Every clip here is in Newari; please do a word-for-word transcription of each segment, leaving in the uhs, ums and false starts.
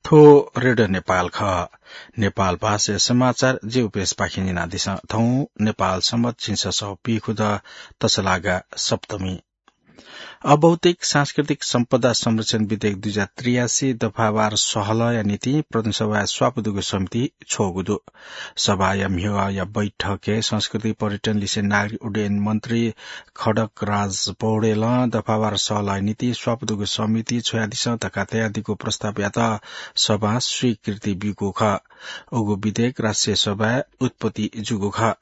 थ्व रेडियो नेपाल खः। नेपाल भाषाया समाचार जिगु पेजपाखें न्यनादिसँ। थौं नेपाल संवत् झिंछसः पीखुदँ तसलागा सप्तमी। अभौतिक सांस्कृतिक सम्पदा संरक्षण विधेयक दुई हजार त्रियासी दफावार सहलहया निंतिं प्रदेश सभाया स्वापू दुगु समिति छ्वःगु दु। सभाया म्हिगःया बैठकय् संस्कृति पर्यटन लिसे नागरिक उड्डयन मन्त्री खड्गराज पौडेलं दफावार सहलहया निंतिं स्वापू दुगु समिति छ्वयादिसँ धकाः तयादीगु प्रस्तावयात सभां स्वीकृति ब्यूगु खः। उगु विधेयक राष्ट्रिय सभाय् उत्पत्ति जूगु खः।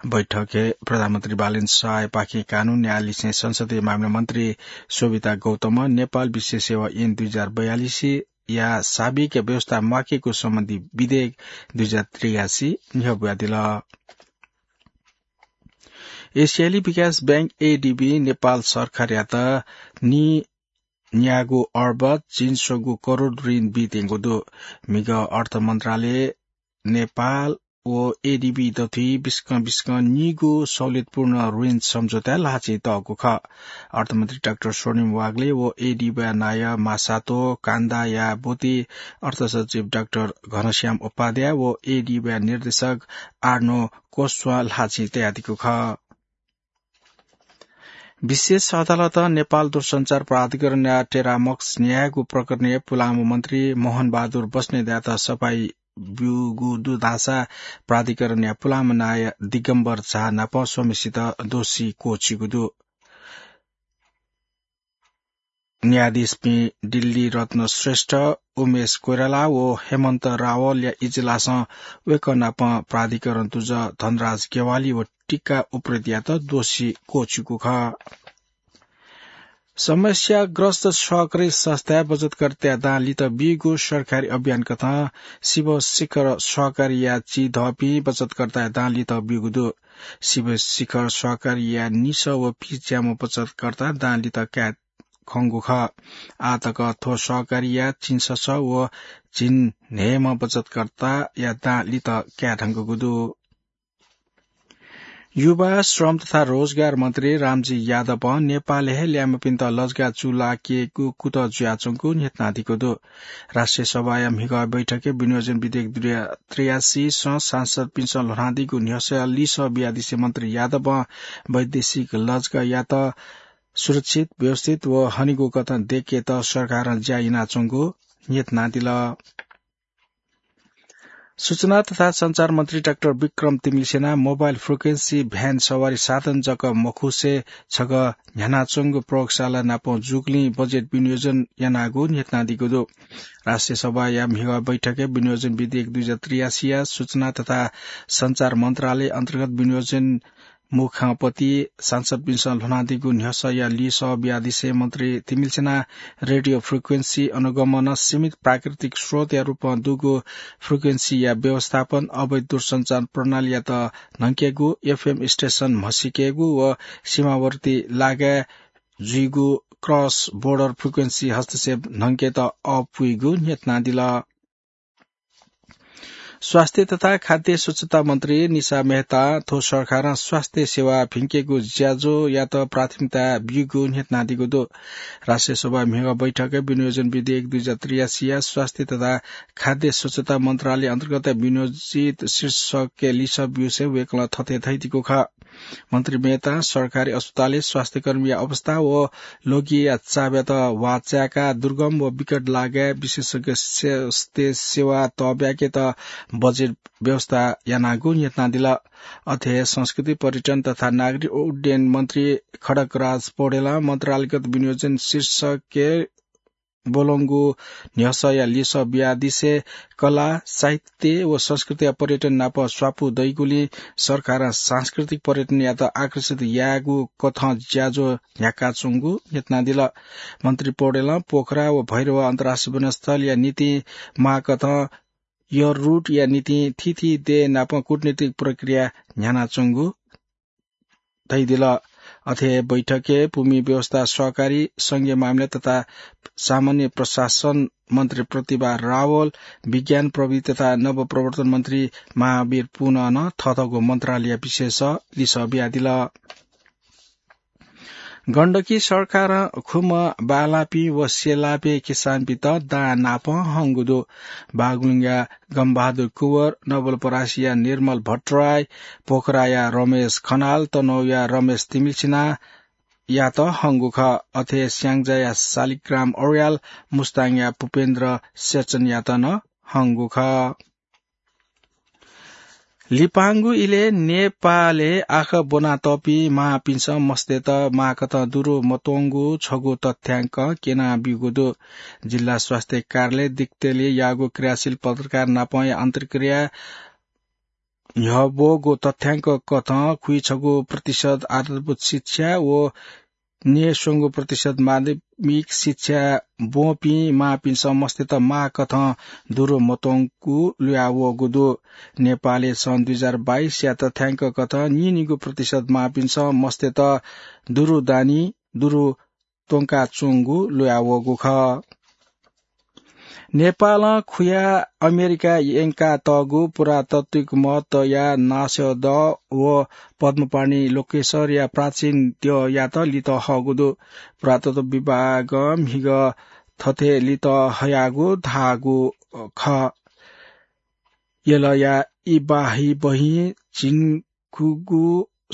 बैठकय् प्रधानमन्त्री बालेन्द्र शाहयापाखें कानून न्यायाधीश संसदीय मामिला मन्त्री शोभिता गौतमं नेपाल विशेष सेवा ऐन दुई हजार बयालिसया साबिकया व्यवस्था म्वाकेगु सम्बन्धी विधेयक दुई हजार त्रियासी न्ह्यब्वयादिल। एसियाली विकास बैंक, एडीबी, नेपाल सरकारयात नी न्यागू अर्ब झिंस्वगू करोड ऋण बीत्यंगु दु। म्हिगः अर्थ मन्त्रालय नेपाल व एडीबी दथुइ बिस्कं बिस्कं नीगू सहुलियतपूर्ण ऋण सम्झौताय् ल्हाःचिं तःगु खः। अर्थमन्त्री डाक्टर स्वर्णिम वाग्ले व एडीबीया नायः मासातो कान्दाया ब्वति, अर्थसचिव डाक्टर घनश्याम उपाध्याय व एडीबीया निर्देशक आर्नो कोस्वां ल्हाःचिं तयादीगु खः। विशेष अदालतं नेपाल दूरसञ्चार प्राधिकरणया टेरामक्स न्यायेगु प्रकरणय् पुलांम्ह मन्त्री मोहन बहादुर बस्नेतयात सफाई ब्यूगु दु धाःसा प्राधिकरणया पुलांम्ह नायः दिगम्बर झा नाप स्वम्हेसित दोषी क्वःछिगु दु। न्यायाधीशपिं दिल्ली रत्न श्रेष्ठ, उमेश कोइराला व हेमन्त रावलया इजलासं वय्कः नाप प्राधिकरण दुजः धनराज ज्ञवाली व टिका उप्रेतीयात दोषी क्वःछिकू खः। समस्याग्रस्त सहकारी संस्थाय् बचतकर्ताया दां लित बीगु सरकारी अभियान कथं शिवशिखर सहकारीया चिधःपिं बचतकर्ताया दां लित बीगु दु। शिवशिखर सहकारीया निसः व पिच्याम्ह बचतकर्ता दां लित काये खंगु खः। आः तक थ्व सहकारीया झिंछसः व झिंन्हय्म्ह बचतकर्ताया दां लित काये धुंकूगु दु। युवा, श्रम तथा रोजगार मन्त्री रामजी यादवं नेपालय् हे ल्याय्म्हपिन्त लजगाः चूलाकेगु कुतः जुयाच्वंगु न्ह्यथनादीगु दु। राष्ट्रिय सभाया म्हिगः बैठकय् विनियोजन विधेयक दुई हजार त्रियासीसं सांसदपिन्सं ल्ह्वनादीगु न्ह्यसःया लिसः बियादिसे मन्त्री यादवं वैदेशिक लजगाःयात सुरक्षित, व्यवस्थित व हनेगु कथं दयेकेत सरकारं ज्या यानाच्वंगु न्ह्यथनादिल। सूचना तथा सञ्चार मन्त्री डाक्टर विक्रम तिमिल्सिनां मोबाइल फ्रिक्वेन्सी भ्यान सवारी साधन जक मखुसे छगः न्ह्यानाच्वंगु प्रयोगशाला नाप जूगुलिं बजेट विनियोजन यानागु न्ह्यथनादीगु दु। राष्ट्रिय सभाया म्हिगः बैठकय् विनियोजन विधेयक दुई हजार त्रियासीया सूचना तथा सञ्चार मन्त्रालय अन्तर्गत विनियोजन मुखपति सांसदपिन्सं ल्ह्वनादीगु न्ह्यसःया लिसः बियादिसे मन्त्री तिमिल्सिनां रेडियो फ्रिक्वेन्सी अनुगमनं सीमित प्राकृतिक स्रोतया रूपं दुगु फ्रिक्वेन्सीया व्यवस्थापन, अवैध दूरसञ्चार प्रणालीयात न्हंकेगु, एफएम स्टेसन म्हसीकेगु व सीमावर्ती लागाय् जुइगु क्रस बोर्डर फ्रिक्वेन्सी हस्तक्षेप न्हंकेत अःपुइगु न्ह्यथनादिल। स्वास्थ्य तथा खाद्य स्वच्छता मन्त्री निशा मेहतां थ्व सरकारं स्वास्थ्य सेवा भिंकेगु ज्याझ्वःयात प्राथमिकता ब्यूगु न्ह्यथनादीगु दु। राष्ट्रिय सभा म्हिगः बैठकय् विनियोजन विधेयक दुई हजार त्रियासीया स्वास्थ्य तथा खाद्य स्वच्छता मन्त्रालय अन्तर्गत विनियोजित शीर्षकय् लिसः ब्यूसे वय्कलं थथे धयादीगु खः। मन्त्री मेहतां सरकारी अस्पतालय् स्वास्थ्यकर्मीया अवस्था व लोगिया चाबयात वाःचाय्काः दुर्गम व विकट लागाय् विशेषज्ञ स्वास्थ्य सेवा तःब्याकेत बजेट व्यवस्था यानागु न्ह्यथनादिल। अथे संस्कृति, पर्यटन तथा नागरिक उड्डयन मन्त्री खड्गराज पौडेलं मन्त्रालयगत विनियोजन शीर्षकय् ब्वलंगु न्ह्यसःया लिसः बियादिसे कला, साहित्य व संस्कृतिया पर्यटन नाप स्वापू दइगुलिं सरकारं सांस्कृतिक पर्यटनयात आकर्षित यायेगु कथं ज्याझ्वः न्ह्याकाच्वंगु न्ह्यथनादिल। मन्त्री पौडेलं पोखरा व भैरव अन्तर्राष्ट्रिय विमानस्थलया निंतिं माःकथं एयर रूटया निंतिं थीथी देय् नाप कूटनीतिक प्रक्रिया न्ह्यानाच्वंगु धयादिल। अथे हे बैठकय् भूमि व्यवस्था, सहकारी, संघीय मामिला तथा सामान्य प्रशासन मन्त्री प्रतिभा रावल, विज्ञान, प्रविधि तथा नवप्रवर्तन मन्त्री महावीर पुनः नं थःथःगु मन्त्रालय विशेष लिसः बियादिल। गण्डकी सरकारं खुम्ह बालापी व सेलापे किसानपित दां नाप हंगु दु। बागलुङया गम्बहादुर कुँवर, नवलपरासीया निर्मल भट्टराई, पोखराया रमेश खनाल, तनहुँया रमेश तिमिल्सिनायात हंगु खः। अथे स्याङ्जाया शालिग्राम अर्याल, मुस्ताङया पुपेन्द्र सेचनयात नं हंगु खः। लिपांगु इलय् नेपालय् आखः ब्वनातःपिं मांपिन्सं मस्तय्त मांकथं दुरु मतंगु छगू तथ्यांक क्यनाब्यूगु दु। जिल्ला स्वास्थ्य कार्यालय दिक्तेलय् याःगु क्रियाशील पत्रकार नापंया अन्तर्क्रिया न्ह्यब्वःगु तथ्यांक कथं खुइछगू प्रतिशत आधारभूत शिक्षा व न्यय्स्वंगू प्रतिशत माध्यमिक शिक्षा ब्वंपिं मांपिन्सं मस्तय्त मांकथं दुरु मतंगु लुयावःगु दु। नेपालय् सन् दुई हजार बाइसया तथ्यांक कथं नीनिगू प्रतिशत मांपिन्सं मस्तय्त दुरु दानी दुरु त्वंकाच्वंगु लुयावःगु खः। नेपालं खुया अमेरिका यंकातःगु पुरातात्विक महत्वया नासद्यः व पद्मपाणि लोकेश्वरया प्राचीन द्यःयात लित हःगु दु। पुरातत्व विभागं म्हिगः थथे लित हयागु धाःगु खः। यलया इबाही बहिं झिंखुगू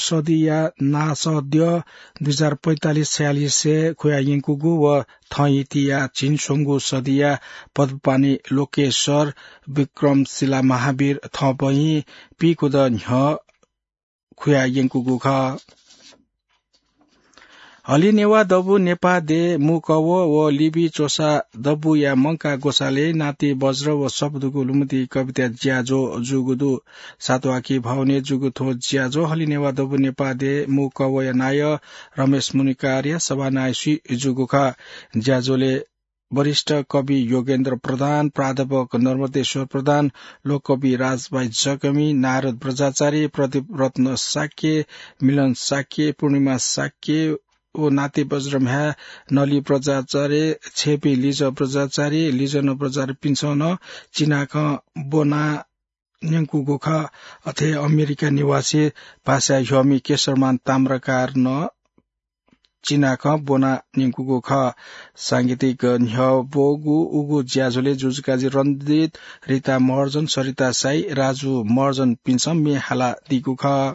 सदीया नासद्यः दुई हजार पैंतालिस छयालिसय् खुया यंकूगु व थःहितिया झिंस्वंगू सदीया पद्मपाणि लोकेश्वर, विक्रमशिला महावीर थःबहिं पीकुद न्ह्यः खुया यंकूगु खः। हलिनेवा दबू नेपाः देय् मूकवः व लिबी च्वसा दबूया मंकाः ग्वसालय् नाति बज्र व सपदुगु लुमति कविता ज्याझ्वः जूगु दु। सातवाकी भवनय् जूगु थ्व ज्याझ्वः हलिनेवा दबू नेपाः देय् मूकवःया नायः रमेश मुनिकारया सभानायः स्वयाः जूगु खः। ज्याझ्वलय् वरिष्ठ कवि योगेन्द्र प्रधान, प्राध्यापक नर्मदेश्वर प्रधान, लोककवि राजभाइ जकमी, नारद बज्राचार्य, प्रदीप रत्न शाक्य, मिलन शाक्य, पूर्णिमा शाक्य व नाति बज्रम्ह्याय् नली बज्राचार्य, छेँपी लिज बज्राचार्य, लिजन बज्राचार्यपिन्सं नं चिनाखँ ब्वना न्यंकूगु खः। अथे अमेरिका निवासी भाषा ह्यःमि केशरमान ताम्राकार नं चिनाखँ ब्वना न्यंकूगु खः। सांगीतिक न्ह्यब्वःगु उगु ज्याझ्वलय् जुजुकाजी रणजित, रिता महर्जन, सरिता साई, राजु महर्जनपिन्सं म्ये हालादीगु खः।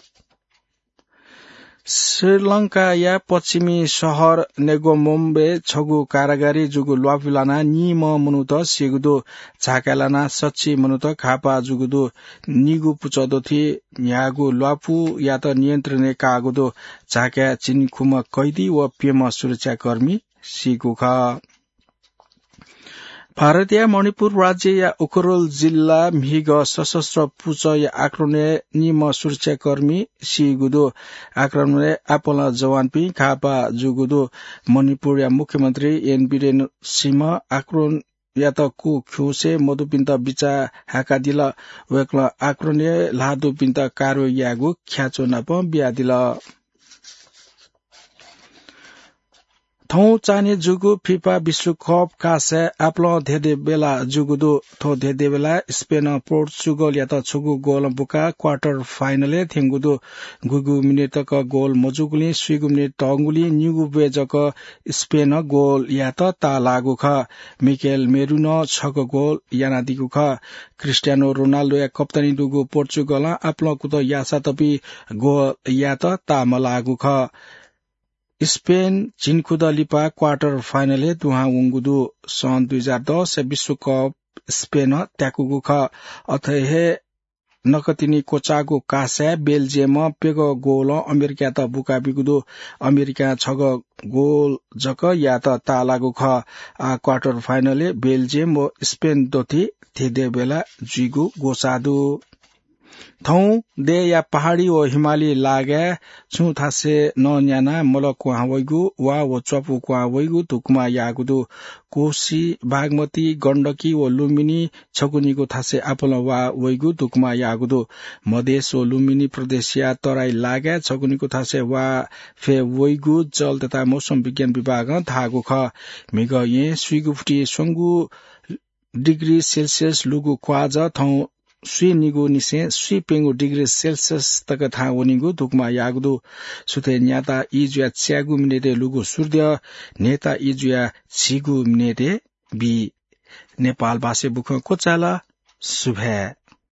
श्रीलंकाया पश्चिमी शहर नेगोमोम्बे छगू कारागारय् जूगु ल्वापु लानाः निम्ह मनूत सीगु दु। झाकाय् लानाः सछि मनूत घाःपाः जूगु दु। निगू पुचः दथुइ न्ह्याःगु ल्वापुयात नियन्त्रणय् काःगु दु। झाकाय् झिंखुम्ह कैदी व प्यम्ह सुरक्षाकर्मी सीगु खः। भारतया मणिपुर राज्यया उखरुल जिल्ला म्हिगः सशस्त्र पुचःया आक्रमणय् निम्ह सुरक्षाकर्मी सीगु दु। आक्रमणय् आपालं जवानपिं घाःपाः जूगु दु। मणिपुरया मुख्यमन्त्री एन बिरेन सिंह आक्रमणयात कू खिउँसे मदुपिन्त बिचाः हाकादिल। वय्कलं आक्रमणय् ल्हाः दुपिन्त कारवाही यायेगु ख्याच्वः नाप बियादिल। थौं चान्हय् जूगु फिफा विश्वकप कासय् आपालं धेंधेंबेला जूगु दु। थ्व धेंधेंबेलाय् स्पेनं पोर्चुगलयात छगू गोलं बुकाः क्वार्टर फाइनलय् थ्यंगु दु। गुगु मिनेट तक गोल मजूगुलिं स्वीगू मिनेट तःगुलिं निगू बय् जक स्पेनं गोल यायेत ताःलाःगु खः। मिकेल मेरुनं छगू गोल यानादीगु खः। क्रिस्टियानो रोनाल्डोया कप्तानी दुगु पोर्चुगलं आपालं कुतः याःसां तःपिं गोल यायेत ताःमलाःगु खः। स्पेन झिंखुदँ लिपा क्वार्टर फाइनलय् दुहां वंगु दु। सन् दुई हजार दसया विश्वकप स्पेनं त्याकूगु खः। अथे हे नकतिनि क्वचाःगु कासय् बेल्जियमं प्यगः गोलं अमेरिकायात बुकाबीगु दु। अमेरिकां छगः गोल जक यायेत ताःलाःगु खः। आः क्वार्टर फाइनलय् बेल्जियम व स्पेन दथुइ धेंधेंबेला जुइगु ग्वसाः दु। थौं देय्‌या पहाडी व हिमाली लागाय् छुं थासय् नं न्यानाः मल क्वहां वइगु, वा व च्वापु क्वहां वइगु धुकुमा याःगु दु। कोसी, बागमती, गण्डकी व लुम्बिनी छकू निगू थासय् आपालं वा वइगु धुकुमा याःगु दु। मधेस व लुम्बिनी प्रदेशया तराई लागाय् छकू निगू थासय् वा फय् वइगु जल तथा मौसम विज्ञान विभागं धाःगु खः। म्हिगः येँ स्वीगू फुति स्वंगू डिग्री सेल्सियस लुगु क्वाःजः थौं स्वीनिगु निसें स्वीप्यंगु डिग्री सेल्सियस तक थाहां वनीगु दुकमा याःगु दु। सुथय् न्याता ई जुया च्यागू मिनेटय् लुगु सूर्य, न्हय्ता ई जुया झिगू मिनेटय् बी। नेपाल भाषाय् बुखँ क्वचाल। सुभाय्।